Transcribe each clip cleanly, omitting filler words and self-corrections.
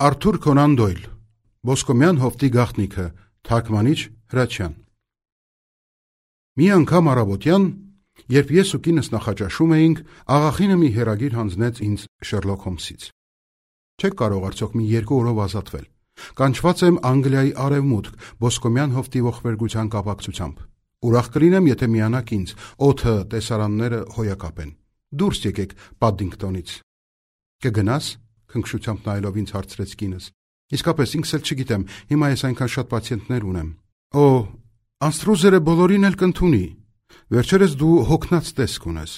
Արթուր Քոնան Դոյլ, Ոսկոմյան հովտի գաղտնիքը, թարգմանիչ Հրաչյան։ Մի անգամ առավոտյան, երբ ես ու կինս նախաճաշում էինք, աղախինը մի հեռագիր հանձնեց ինձ Շերլոք Հոլմսից։ Չեք կարող արդյոք մի 2 օրով ազատվել։ Կանչված եմ Անգլիայի արևմուտք, Ոսկոմյան հովտի ողբերգության կապակցությամբ։ Ուրախ կլինեմ, եթե միանաք ինձ, օդը, տեսարանները հոյակապ են։ Դուրս եկեք Պադդինգտոնից։ Կգնաս, քնքշությամբ նայելով ինձ հարցրեց կինս։ Իսկապես ինքս էլ չգիտեմ, հիմա ես այնքան շատ պացիենտներ ունեմ։ Օ, անստրուզերը բոլորին էլ կընդունի։ Վերջերս դու հոգնած տեսք ունես։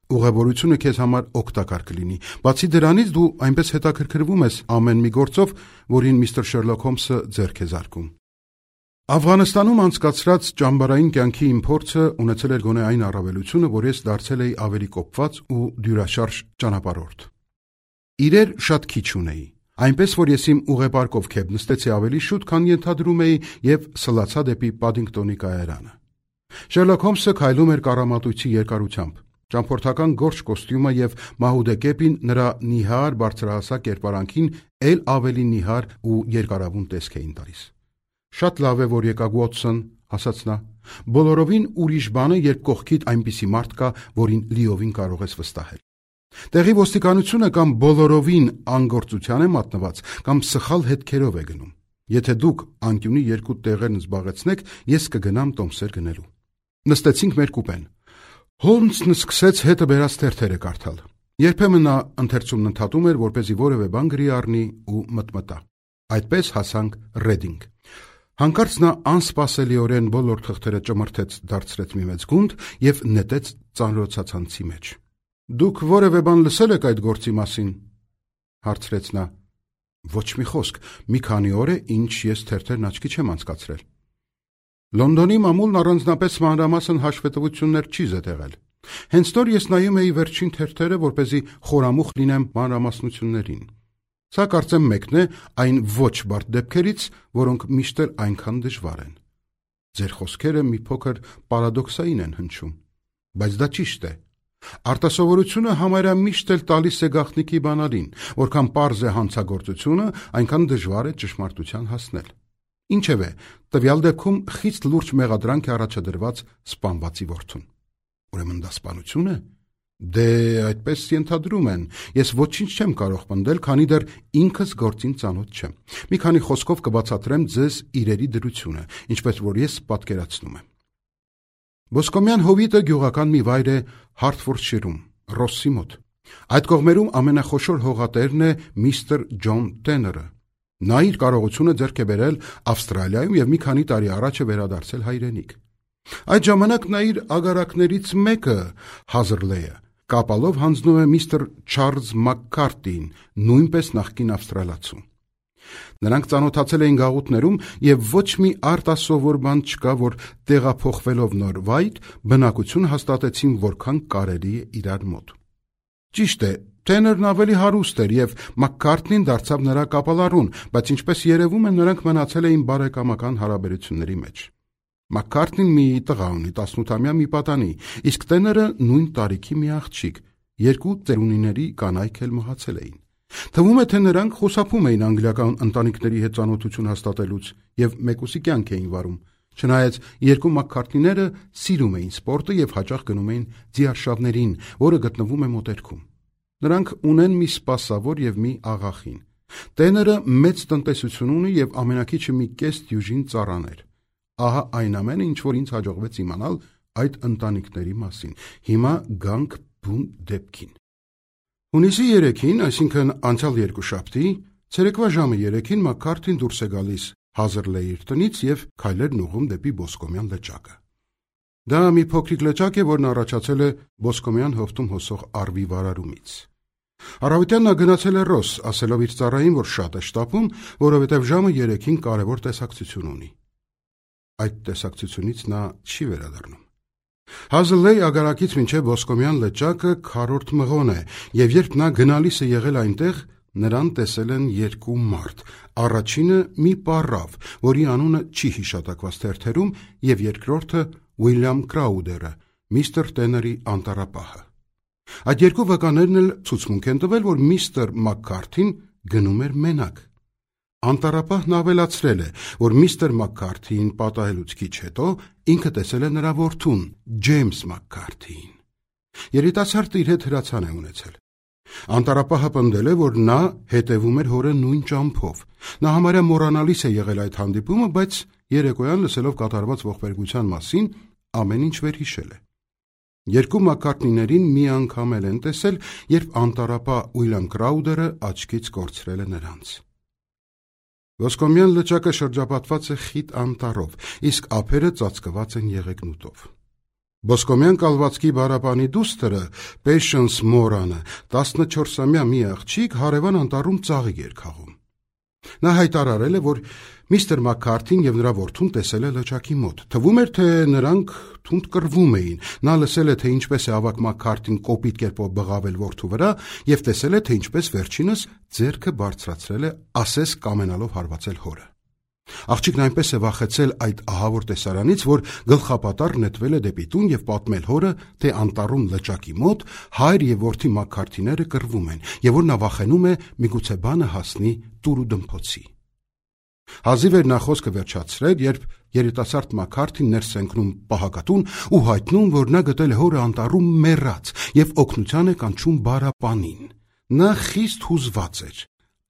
Ուղևորությունը քեզ համար օգտակար կլինի։ Բացի դրանից դու այնպես հետաքրքրվում ես ամեն մի գործով, որին միստր Շերլոք Հոլմսը ձեռք է զարկում։ Աֆղանստանում անցկացրած ճամբարային կյանքի իմ փորձը ունեցել էր գոնե այն առավելությունը, որ ես դարձել էի ավելի կոպված ու դյուրաշարժ ճանապարհորդ։ Իրեր շատ քիչ ունեի, այնպես որ ես իմ ուղեպարկով քեփ նստեցի ավելի շուտ, քան ենթադրում էի եւ սլացա դեպի Պադդինգտոնի կայարանը։ Շերլոք Հոլմսը քայլում էր կառամատույցի երկարությամբ։ Ճամփորդական գորշ կոստյումը եւ մահուդե կեպին նրա նիհար բարձրահասակ կերպարանքին ել ավելի նիհար ու երկարավուն տեսք էին տալիս։ Շատ լավ է, որ եկաք Ուոտսոն, ասաց նա։ Բոլորովին ուրիշ բան է, երբ կողքիդ այնպիսի մարդ կա, որին լիովին կարող ես վստահել։ Տեղի ոստիկանությունը կամ բոլորովին անգործության է մատնված, կամ սխալ հետքերով է գնում։ Եթե դուք անկյունի 2 տեղերն զբաղեցնեք, ես կգնամ տոմսեր գնելու։ Նստեցինք մեր կուպեն։ Հոլմսն սկսեց հետը բերած թերթերը կարդալ։ Երբեմն նա ընթերցումն ընդհատում էր, որպեսզի որևէ բան գրի առնի ու մտմտա։ Այդպես հասանք Ռեդինգ։ Հանկարծ նա անսպասելիորեն բոլոր թղթերը ճմրթեց, դարձրեց մի մեծ գունդ եւ նետեց ծանրոցացանցի մեջ։ Դուք որևէ բան լսել եք այդ գործի մասին, հարցրեց նա։ Ոչ մի խոսք, մի քանի օր է, ինչ ես թերթերն աչքի չեմ անցկացրել։ Լոնդոնի մամուլն առանձնապես մանրամասն հաշվետվություններ չի զետեղել։ Հենց նոր ես նայում էի վերջին թերթերը, որպեսզի խորամուխ լինեմ մանրամասնություններին։ Սա կարծեմ մեկն է այն ոչ բարդ դեպքերից, որոնք միշտ էլ այնքան դժվար են։ Ձեր խոսքերը մի փոքր պարադոքսային են հնչում, բայց դա ճիշտ է։ Արտասովորությունը համարյա միշտ էլ տալիս է գաղտնիքի բանալին, որքան պարզ է հանցագործությունը, այնքան դժվար է ճշմարտության հասնել։ Ինչևէ, տվյալ դեպքում խիստ լուրջ մեղադրանք է առաջադրված սպանվածի որդուն։ Ուրեմն դա սպանություն է։ Դե այդպես ենթադրում են։ Ես ոչինչ չեմ կարող պնդել, քանի դեռ ինքս գործին ծանոթ չեմ։ Մի քանի խոսքով կբացատրեմ ձեզ իրերի դրությունը, ինչպես որ ես պատկերացնում եմ։ Ոսկոմյան հովիտը գյուղական մի վայր է Հարթֆորդշիրում, Ռոսսի մոտ։ Այդ կողմերում ամենախոշոր հողատերն է միստր Ջոն Տեները։ Նա իր կարողությունը ձեռք է բերել Ավստրալիայում եւ մի քանի տարի առաջ է վերադարձել հայրենիք։ Այդ ժամանակ նա իր ագարակներից մեկը, Հազերլեյը, կապալով հանձնում է միստր Չարլզ Մակքարթին, նույնպես նախկին ավստրալացու։ Նրանք ծանոթացել էին գաղութներում եւ ոչ մի արտասովոր բան չկա, որ տեղափոխվելով նոր վայր բնակություն հաստատեցին, որքան կարելի է իրար մոտ։ Ճիշտ է, Տեներն ավելի հարուստ էր եւ Մակքարթին դարձավ նրա կապալառուն, բայց ինչպես երևում է, նրանք մնացել էին բարեկամական հարաբերությունների մեջ։ Մակքարթին մի տղա ունի, 18-ամյա մի պատանի, իսկ Տեները նույն տարիքի մի աղջիկ, 2 ծերունիների կանայք էլ մահացել էին։ Թվում է, թե նրանք խուսափում էին անգլիական ընտանիքների հետ ծանոթություն հաստատելուց եւ մեկուսի կյանք էին վարում։ Չնայած 2 Մակքարթիները սիրում էին սպորտը եւ հաճախ գնում էին ձիարշավներին, որը գտնվում է մոտերքում։ Նրանք ունեն մի սպասավոր եւ մի աղախին։ Տեները մեծ տնտեսություն ունի եւ ամենակիչը մի կես դյուժին ծառաներ։ Ահա այն ամենը, ինչ որ ինձ հաջողվեց իմանալ այդ ընտանիքների մասին։ Հիմա գանք բուն դեպքին։ Հունիսի 3-ին, այսինքն անցյալ երկուշաբթի, ցերեկվա ժամը 3-ին Մակքարթին դուրս է գալիս Հազերլեյի տնից եւ քայլերն ուղղում դեպի Ոսկոմյան լճակը։ Դա մի փոքրիկ լճակ է, որն առաջացել է Ոսկոմյան հովտում հոսող առվի վարարումից։ Առավոտյան նա գնացել է Ռոս, ասելով իր ծառային, որ շատ է շտապում, որովհետև ժամը 3-ին կարևոր տեսակցություն ունի։ Այդ տեսակցությունից նա չի վերադառնում։ Հազերլեյ ագարակից մինչև Ոսկոմյան լճակը քառորդ մղոն է, եւ երբ նա գնալիս է եղել այնտեղ, նրան տեսել են 2 մարդ։ Առաջինը մի պառավ, որի անունը չի հիշատակված թերթերում, եւ երկրորդը Ուիլյամ Կրաուդերը, միստր Տեների անտառապահը։ Այդ 2 վկաներն էլ ցուցմունք են տվել, որ միստր Մակքարթին գնում էր մենակ։ Անտառապահն ավելացրել է, որ միստր Մաքքարթիին պատահելուց քիչ հետո ինքը տեսել է նրա որդուն, Ջեյմս Մաքքարթիին։ Երիտասարդը իր հետ հրացան է ունեցել։ Անտառապահը պնդել է, որ նա հետևում էր հորը նույն ճամփով։ Նա համարյա մոռանալիս է եղել այդ հանդիպումը, բայց երեկոյան լսելով կատարված ողբերգության մասին ամեն ինչ վերհիշել է։ Երկու Մաքքարթիներին մի անգամ էլ են տեսել, երբ անտառապահ Ուիլյամ Կրաուդերը աչքից կորցրել է նրանց։ Ոսկոմյան լճակը շրջապատված է խիտ անտառով, իսկ ափերը ծածկված են եղեգնուտով։ Ոսկոմյան կալվածքի բարապանի դուստրը Patience Moran-ը 14-ամյա մի աղջիկ հարևան անտառում ծաղիկ էր քաղում։ Նա հայտարարել է, որ միստր Մաքքարթին եւ նրա որդուն տեսել է լճակի մոտ։ Թվում էր, թե նրանք թունդ կռվում էին։ Նա լսել է, թե ինչպես է ավակ Մաքքարթին կոպիտ կերպով բղավել որդու վրա եւ տեսել է, թե ինչպես վերջինս ձեռքը բարձրացրել է, ասես կամենալով հարվածել հորը։ Աղջիկն այնպես է վախեցել այդ ահավոր տեսարանից, որ գլխապատառ նետվել է դեպի տուն եւ պատմել հորը, թե անտառում լճակի մոտ հայր եւ որդի Մաքքարթիները կռվում են եւ որ նա վախենում է միգուցե բանը հասնի տուրու դմփոցի։ Հազիվ էր նա խոսքը վերջացրել, երբ երիտասարդ Մաքքարթին ներս ընկնում պահակատուն ու հայտնում, որ նա գտել է հորը անտառում մեռած եւ օգնության է կանչում բարապանին։ Նա խիստ հուզված էր,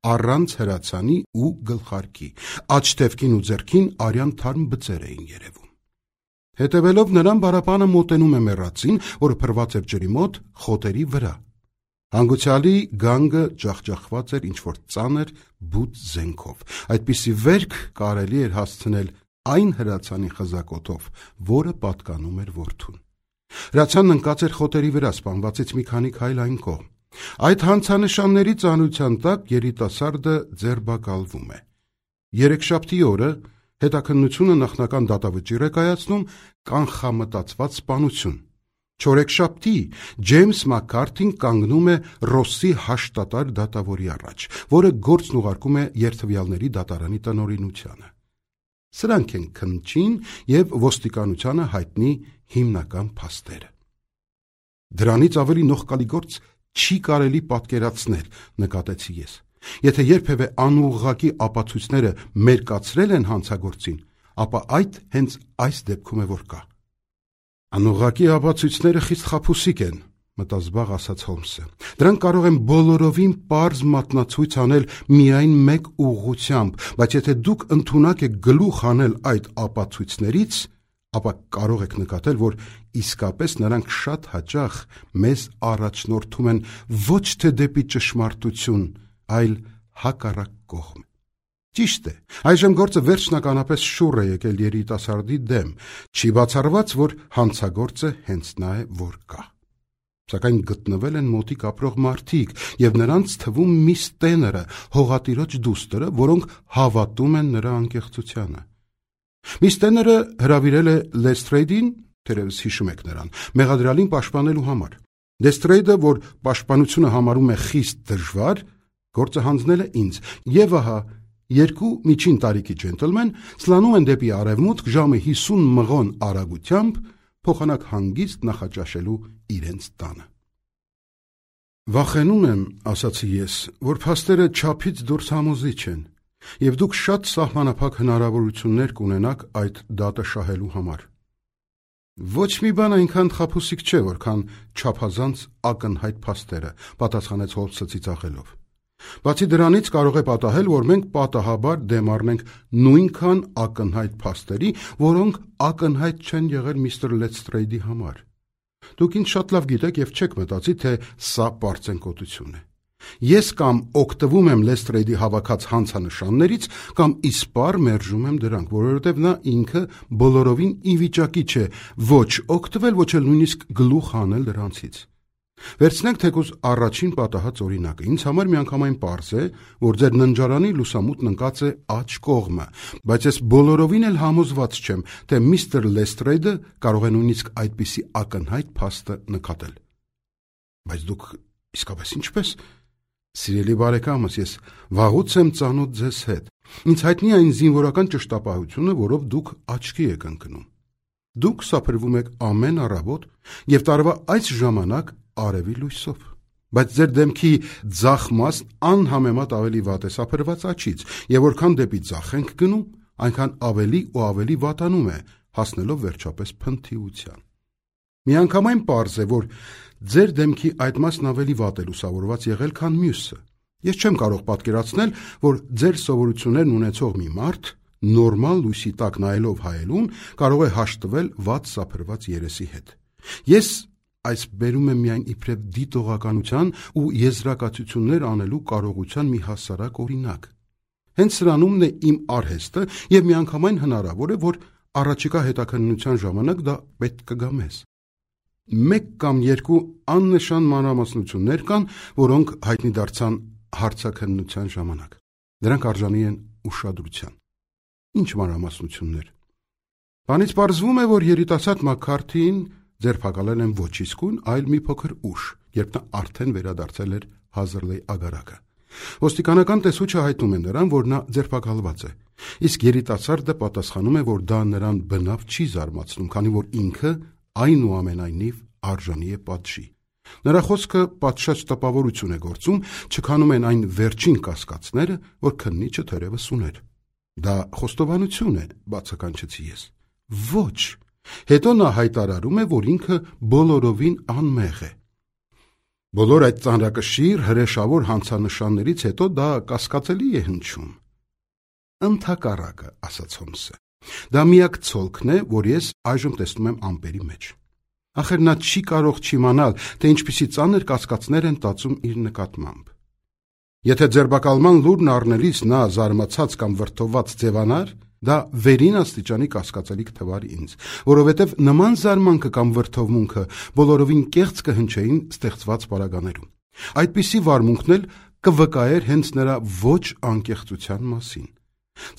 առանց հրացանի ու գլխարկի, աչթևքին ու ձեռքին արյան թարմ բծեր էին երևում։ Հետևելով նրան բարապանը մոտենում է մեռածին, որը փռված էր ջրի մոտ խոտերի վրա։ Հանգուցյալի գանգը ջախջախված էր ինչ-որ ծանր բութ զենքով։ Այդպիսի վերք կարելի էր հասցնել այն հրացանի խզակոթով, որը պատկանում էր որդուն։ Հրացանն ընկած էր խոտերի վրա, սպանվածից մի քանի քայլ այն կողմ։ Այդ հանցանշանների ծանրության տակ երիտասարդը ձերբակալվում է։ Երեքշաբթի օրը հետաքննությունը նախնական դատավճիռ է կայացնում կանխամտածված սպանություն։ Չորեքշաբթի Ջեյմս Մաքքարթին կանգնում է Ռոսսի հաշտատար դատավորի առաջ, որը գործն ուղարկում է երթվյալների դատարանի տնօրինությանը։ Սրանք են քննչին եւ ոստիկանությանը հայտնի հիմնական փաստերը։ Դրանից ավելի նողկալի գործ չի կարելի պատկերացնել, նկատեցի ես։ Եթե երբևէ անուղղակի ապացույցները մերկացրել են հանցագործին, ապա այդ հենց այս դեպքում է որ կա։ Անուղղակի ապացույցները խիստ խաբուսիկ են, մտազբաղ ասաց Հոլմսը։ Դրանք կարող են բոլորովին պարզ մատնացույց անել միայն մեկ ուղղությամբ, բայց եթե դուք ընդունակ եք գլուխ անել այդ ապացույցներից, ապա կարող եք նկատել, որ իսկապես նրանք շատ հաճախ մեզ առաջնորդում են ոչ թե դեպի ճշմարտություն, այլ հակառակ կողմ։ Ճիշտ է, այժմ գործը վերջնականապես շուռ է եկել երիտասարդի դեմ, չի բացառված, որ հանցագործը հենց նա է, որ կա։ Սակայն գտնվել են մոտիկ ապրող մարդիկ եւ նրանց թվում միս Տեները, հողատիրոջ դուստրը, որոնք հավատում են նրա անկեղծությանը։ Միս Տեները հրավիրել է Լեսթրեյդին, թերևս հիշում եք նրան, մեղադրյալին պաշտպանելու համար։ Լեսթրեյդը, որ պաշտպանությունը համարում է խիստ դժվար, գործը հանձնել է ինձ, եւ ահա երկու միջին տարիքի ջենտլմեն սլանում են դեպի արևմուտք ժամը 50 մղոն արագությամբ, փոխանակ հանգիստ նախաճաշելու իրենց տանը։ Վախենում եմ, ասացի ես, որ փաստերը չափից դուրս համոզիչ են, եւ դուք շատ սահմանափակ հնարավորություններ կունենաք այդ դատը շահելու համար։ Ոչ մի բան այնքան խաբուսիկ չէ, որքան չափազանց ակնհայտ փաստերը, պատասխանեց Հոլմսը ծիծաղելով։ Բացի դրանից կարող է պատահել, որ մենք պատահաբար դեմ առնենք նույնքան ակնհայտ փաստերի, որոնք ակնհայտ չեն եղել միստր Լեսթրեյդի համար։ Դուք ինձ շատ լավ գիտեք եւ չեք մտածի, թե սա պարծենկոտություն է։ Ես կամ օգտվում եմ Լեսթրեյդի հավաքած հանցանշաններից, կամ իսպառ մերժում եմ դրանք, որովհետև նա ինքը բոլորովին ի վիճակի չէ ոչ օգտվել, ոչ էլ նույնիսկ գլուխ հանել դրանցից։ Վերցնենք թեկուզ առաջին պատահած օրինակը։ Ինձ համար միանգամայն պարզ է, որ ձեր ննջարանի լուսամուտն ընկած է աջ կողմը, բայց ես բոլորովին էլ համոզված չեմ, թե միստր Լեսթրեյդը կարող է նույնիսկ այդպիսի ակնհայտ փաստը նկատել։ Բայց դուք իսկապես ինչպես։ Սիրելի բարեկամս, ես վաղուց եմ ծանոթ ձեզ հետ։ Ինձ հայտնի այն զինվորական ճշտապահությունը, որով դուք աչքի եք ընկնում։ Դուք սափրվում եք ամեն առավոտ եւ տարվա այս ժամանակ արևի լույսով։ Բայց ձեր դեմքի ձախ մասն անհամեմատ ավելի վատ է սափրված աջից, եւ որքան դեպի ձախ ենք գնում, այնքան ավելի ու ավելի վատանում է, հասնելով վերջապես փնթիության։ Միանգամայն պարզ է, որ ձեր դեմքի այդ մասն ավելի վատ է լուսավորված եղել, քան մյուսը։ Ես չեմ կարող պատկերացնել, որ ձեր սովորություններն ունեցող մի մարդ նորմալ լույսի տակ նայելով հայելուն կարող է հաշտվել վատ սափրված երեսի հետ։ Ես այս բերում եմ միայն իբրև դիտողականության ու եզրակացություններ անելու կարողության մի հասարակ օրինակ։ Հենց սրանումն է իմ արհեստը եւ միանգամայն հնարավոր է, որ առաջիկա հետաքննության ժամանակ դա պետք կգա մեզ։ Մեկ կամ երկու աննշան մանրամասնություններ կան, որոնք հայտնի դարձան հարցաքննության ժամանակ։ Դրանք արժանի են ուշադրության։ Ինչ մանրամասնություններ։ Բանից պարզվում է, որ երիտասարդ Մաքքարթին ձերբակալել են ոչ իսկույն, այլ մի փոքր ուշ, երբ նա արդեն վերադարձել էր Հազրլեյ ագարակը։ Ոստիկանական տեսուչը հայտնում է նրան, որ նա ձերբակալված է, իսկ երիտասարդը պատասխանում է, որ դա նրան բնավ չի զարմացնում, քանի որ ինքը այնուամենայնիվ արժանի է պատժի։ Նրա խոսքը պատշաճ տպավորություն է գործում, չքանում են այն վերջին կասկածները, որ քննիչը թերևս ուներ։ Դա խոստովանություն է, բացականչեցի ես։ Ոչ։ Հետո նա հայտարարում է, որ ինքը բոլորովին անմեղ է։ Բոլոր այդ ծանրակշիռ հրեշավոր հանցանշաններից հետո դա կասկածելի է հնչում։ Ընդհակառակը, ասաց Հոլմսը, դա միակ ցոլքն է, որ ես այժմ տեսնում եմ ամպերի մեջ։ Ախր նա չի կարող չիմանալ, թե ինչպիսի ծանր կասկածներ են տածում իր նկատմամբ։ Եթե ձերբակալման լուրն առնելիս նա զարմացած կամ վրդովված ձևանար, դա վերին աստիճանի կասկածելի կթվար ինձ, որովհետև նման զարմանքը կամ վրդովմունքը բոլորովին կեղծ կհնչեին ստեղծված պարագաներում։ Այդպիսի վարմունքն էլ կվկայեր հենց նրա ոչ անկեղծության մասին։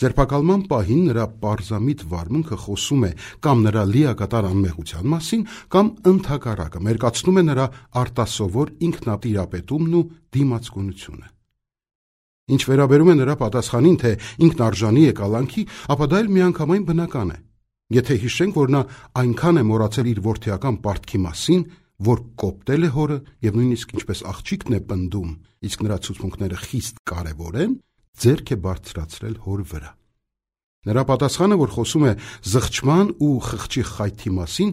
Ձերբակալման պահին նրա պարզամիտ վարմունքը խոսում է կամ նրա լիակատար անմեղության մասին, կամ ընդհակառակը մերկացնում է նրա արտասովոր ինքնատիրապետումն ու դիմացկունությունը։ Ինչ վերաբերում է նրա պատասխանին, թե ինքն արժանի է կալանքի, ապա դա էլ միանգամայն բնական է։ Եթե հիշենք, որ նա այնքան է մոռացել իր որդիական պարտքի մասին, որ կոպտել է հորը եւ նույնիսկ ինչպես աղջիկն է պնդում, իսկ նրա ցուցմունքները խիստ կարեւոր են, ձեռք է բարձրացրել հոր վրա։ Նրա պատասխանը, որ խոսում է զղջման ու խղճի խայթի մասին,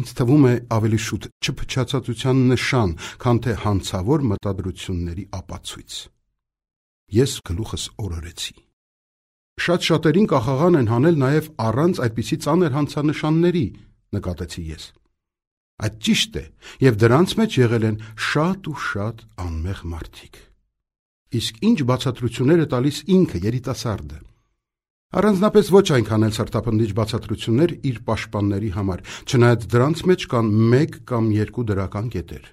ինձ թվում է ավելի շուտ չփչացածության նշան, քան թե հանցավոր մտադրությունների ապացույց։ Ես գլուխս օրորեցի։ Շատ շատերին կախաղան են հանել նաև առանց այդպիսի ծանր հանցանշանների, նկատեցի ես։ Այդ ճիշտ է, եւ դրանց մեջ եղել են շատ ու շատ անմեղ մարդիկ։ Իսկ ինչ բացատրություններ է տալիս ինքը երիտասարդը։ Առանձնապես ոչ այնքան էլ սրտապնդիչ բացատրություններ իր պաշտպանների համար, չնայած դրանց մեջ կան մեկ կամ երկու դրական կետեր։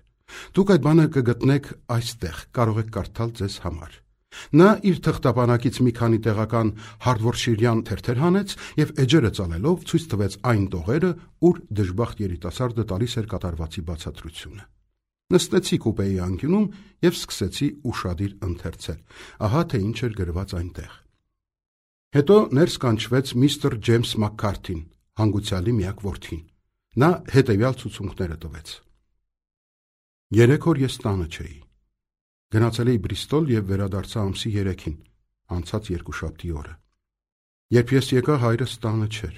Դուք այդ բանը կգտնեք այստեղ, կարող եք կարդալ ձեզ համար։ Նա իր թղթապանակից մի քանի տեղական հարդվորշիրյան թերթեր հանեց եւ էջերը ծալելով ցույց տվեց այն տողերը, ուր դժբախտ երիտասարդը տալիս էր կատարվածի բացատրությունը։ Նստեցի կուպեի անկյունում եւ սկսեցի ուշադիր ընթերցել։ Ահա թե ինչ էր գրված այնտեղ։ Հետո ներս կանչվեց միստր Ջեյմս Մաքքարթին, հանգուցյալի միակ որդին։ Նա հետևյալ ցուցմունքները տվեց։ 3 օր ես տանը չէի։ Գնացել էի Բրիստոլ եւ վերադարձա ամսի 3-ին, անցած երկուշաբթի օրը։ Երբ ես եկա, հայրս տանը չէր։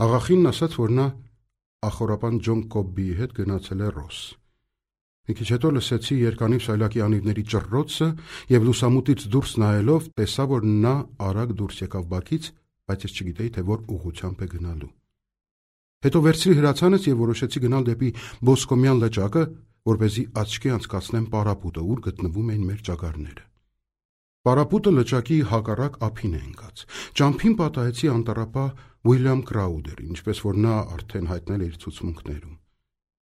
Աղախինն ասաց, որ նա ախորապան Ջոն Կոբբիի հետ գնացել է Ռոս։ Մի քիչ հետո լսեցի երկանի սայլակի անիվների ճռռոցը եւ լուսամուտից դուրս նայելով տեսա, որ նա արագ դուրս եկավ բակից, բայց ես չգիտեի, թե որ ուղղությամբ է գնալու։ Հետո վերցրի հրացանս եւ որոշեցի գնալ դեպի Բոսկոմյան լճակը, որպեսզի աչքի անցկացնեմ պարապուտը, ուր գտնվում էին մեր ճագարները։ Պարապուտը լճակի հակառակ ափին է ընկած։ Ճամփին պատահեցի անտառապահ Ուիլյամ Կրաուդերին, ինչպես որ նա արդեն հայտնել է իր ցուցմունքներում։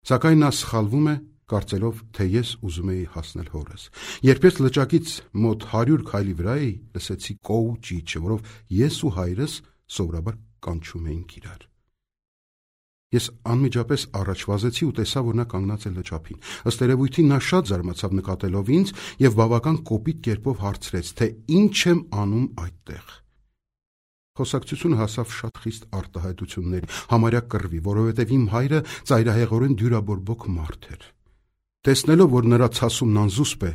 Սակայն նա սխալվում է, կարծելով, թե ես ուզում էի հասնել հորս։ Երբ ես լճակից մոտ 100 քայլի վրա էի, լսեցի կոու ճիչը, որով ես ու հայրս սովորաբար կանչում էինք իրար։ Ես անմիջապես առաջ վազեցի ու տեսա, որ նա կանգնած է լճափին։ Ըստ երևույթին նա շատ զարմացավ նկատելով ինձ եւ բավական կոպիտ կերպով հարցրեց, թե ինչ եմ անում այդտեղ։ Խոսակցությունը հասավ շատ խիստ արտահայտությունների, համարյա կռվի, որովհետև իմ հայրը ծայրահեղորեն դյուրաբորբոք մարդ էր։ Տեսնելով, որ նրա ցասումն անզուսպ է,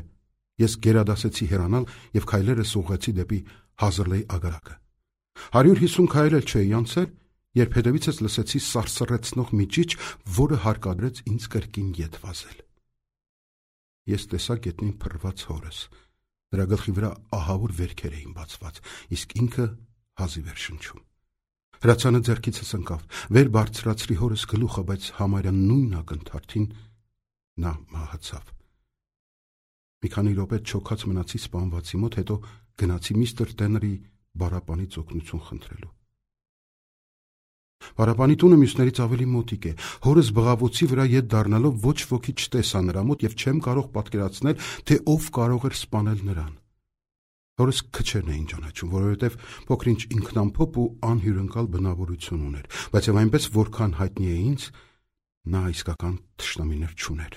ես գերադասեցի հեռանալ և քայլերս ուղղեցի դեպի Հազրլեյ ագարակը։ 150 քայլ էլ չէի անցել, երբ հետևիցս լսեցի սարսռեցնող մի ճիչ, որը հարկադրեց ինձ կրկին ետ վազել։ Ես տեսա գետնին փռված հորս, նրա գլխի վրա ահավոր վերքեր էին բացված, իսկ ինքը հազիվ էր շնչում։ Հրացանը ձեռքիցս ընկավ, վեր բարձրացրի հորս գլուխը, բայց համարյա նույն ակնթարթին նա մահացավ։ Մի քանի րոպե չոքած մնացի սպանվածի մոտ, հետո գնացի միստր Տեների բարապանից օգնություն խնդրելու։ Բարապանի տունը մյուսներից ավելի մոտիկ է։ Հորս բղավոցի վրա ետ դառնալով ոչ ոքի չտեսա նրա մոտ և չեմ կարող պատկերացնել, թե ով կարող էր սպանել նրան։ Հորս քչերն էին ճանաչում, որովհետև փոքր-ինչ ինքնամփոփ ու անհյուրընկալ բնավորություն ուներ, բայց և այնպես որքան հայտնի է ինձ, նա իսկական թշնամիներ չուներ։